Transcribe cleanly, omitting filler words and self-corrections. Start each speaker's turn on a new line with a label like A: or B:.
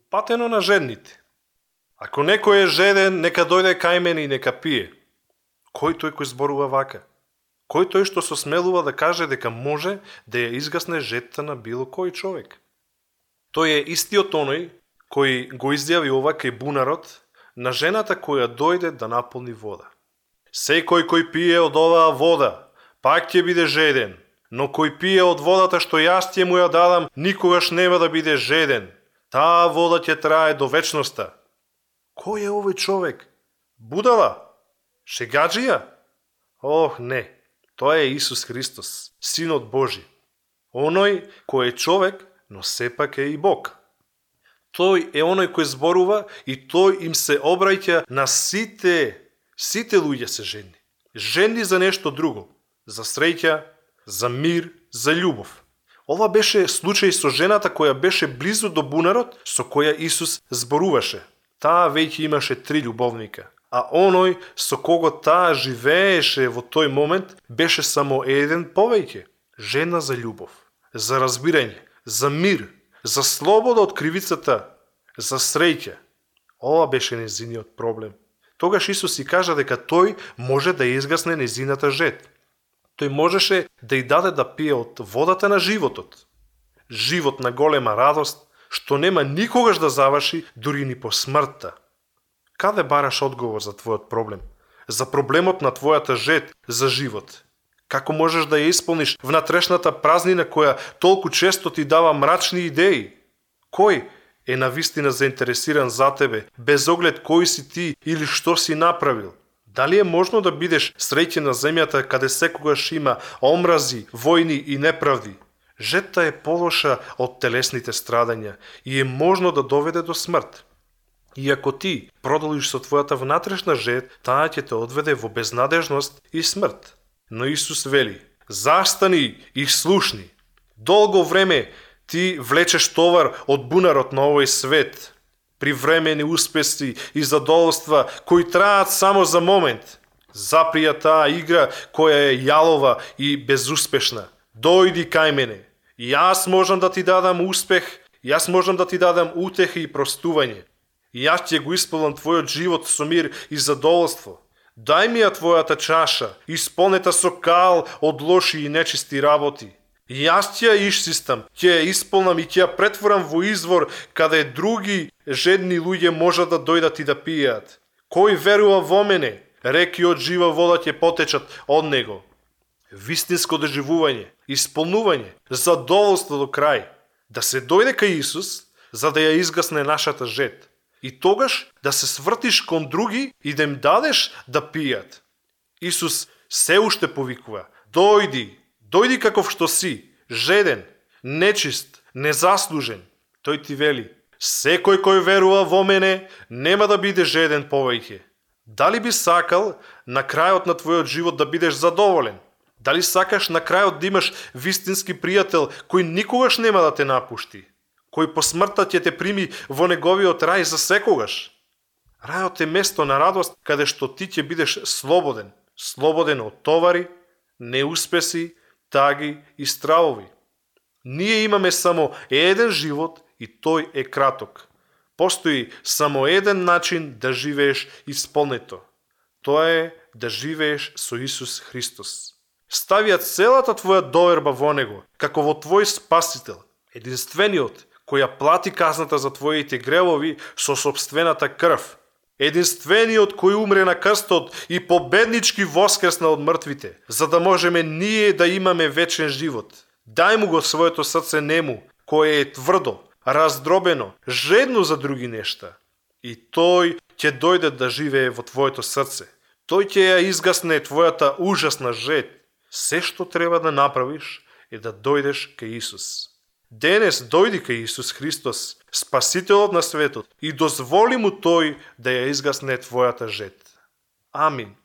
A: патено на жедните. Ако некој е жеден, нека дојде кај мене и нека пие. Кој тој кој зборува вака? Кој тој што се смелува да каже дека може да ја изгасне жедта на било кој човек? Тој е истиот оној кој го изјави ова кај бунарот на жената која дојде да наполни вода. Секој кој пие од оваа вода, пак ќе биде жеден, но кој пие од водата што јас ќе му ја дадам, никогаш нема да биде жеден. Таа вода ќе трае до вечноста. Кој е овој човек? Будала? Шегаджија? Ох, не. Тоа е Исус Христос, Синот Божи. Оној кој е човек, но сепак е и Бог. Тој е оној кој зборува и тој им се обраќа на сите луѓе се жени. Жени за нешто друго, за среќа, за мир, за љубов. Ова беше случај со жената која беше близу до бунарот со која Исус зборуваше. Таа веќе имаше 3 љубовника, а оној со кого таа живееше во тој момент беше само еден повеќе. Жена за љубов, за разбирање, за мир, за слобода од кривицата, за среќа. Ова беше незиниот проблем. Тогаш Исус и кажа дека тој може да изгасне незината жед. Тој можеше да ја даде да пие од водата на животот. Живот на голема радост, што нема никогаш да заврши дури ни по смртта. Каде бараш одговор за твојот проблем? За проблемот на твојата жед за живот? Како можеш да ја исполниш внатрешната празнина која толку често ти дава мрачни идеи? Кој е навистина заинтересиран за тебе, без оглед кој си ти или што си направил? Дали е можно да бидеш среќен на земјата каде секогаш има омрази, војни и неправди? Жедта е полоша од телесните страдања и е можно да доведе до смрт. И ако ти продолжиш со твојата внатрешна жед, таа ќе те одведе во безнадежност и смрт. Но Исус вели: застани и слушни. Долго време ти влечеш товар од бунарот на овој свет. Привремени успеси и задоволства кои траат само за момент. Заприја таа игра која е јалова и безуспешна. Дојди кај мене. Јас можам да ти дадам успех, јас можам да ти дадам утеха и простување. Јас ќе го исполнам твојот живот со мир и задоволство. Дај ми ја твојата чаша, исполнета со кал од лоши и нечисти работи. Јас ќе ја исчистам, ќе ја исполнам и ќе ја претворам во извор каде други жедни луѓе можат да дојдат и да пијат. Кој верува во мене, реки од жива вода ќе потечат од него. Вистинско доживување, исполнување, задоволство до крај. Да се дојде кај Исус, за да ја изгасне нашата жед. И тогаш да се свртиш кон други и да им дадеш да пијат. Исус се уште повикува: дојди каков што си, жеден, нечист, незаслужен. Тој ти вели: секој кој верува во мене нема да биде жеден повеќе. Дали би сакал на крајот на твојот живот да бидеш задоволен? Дали сакаш на крајот да имаш вистински пријател кој никогаш нема да те напушти? Кој по смртта ќе те прими во неговиот рај за секогаш? Рајот е место на радост каде што ти ќе бидеш слободен. Слободен од товари, неуспеси, таги и стравови. Ние имаме само еден живот и тој е краток. Постои само еден начин да живееш исполнето. Тоа е да живееш со Исус Христос. Ставија целата твоја доверба во Него, како во твој Спасител, единствениот која плати казната за твоите гревови со сопствената крв. Единствениот кој умре на крстот и победнички воскресна од мртвите, за да можеме ние да имаме вечен живот. Дај му го своето срце нему, кое е тврдо, раздробено, жедно за други нешта. И тој ќе дојде да живее во твоето срце. Тој ќе ја изгасне твојата ужасна жед. Се што треба да направиш е да дојдеш кај Исус. Денес дојди кај Исус Христос, Спасителот на светот, и дозволи му тој да ја изгасне твојата жед. Амин.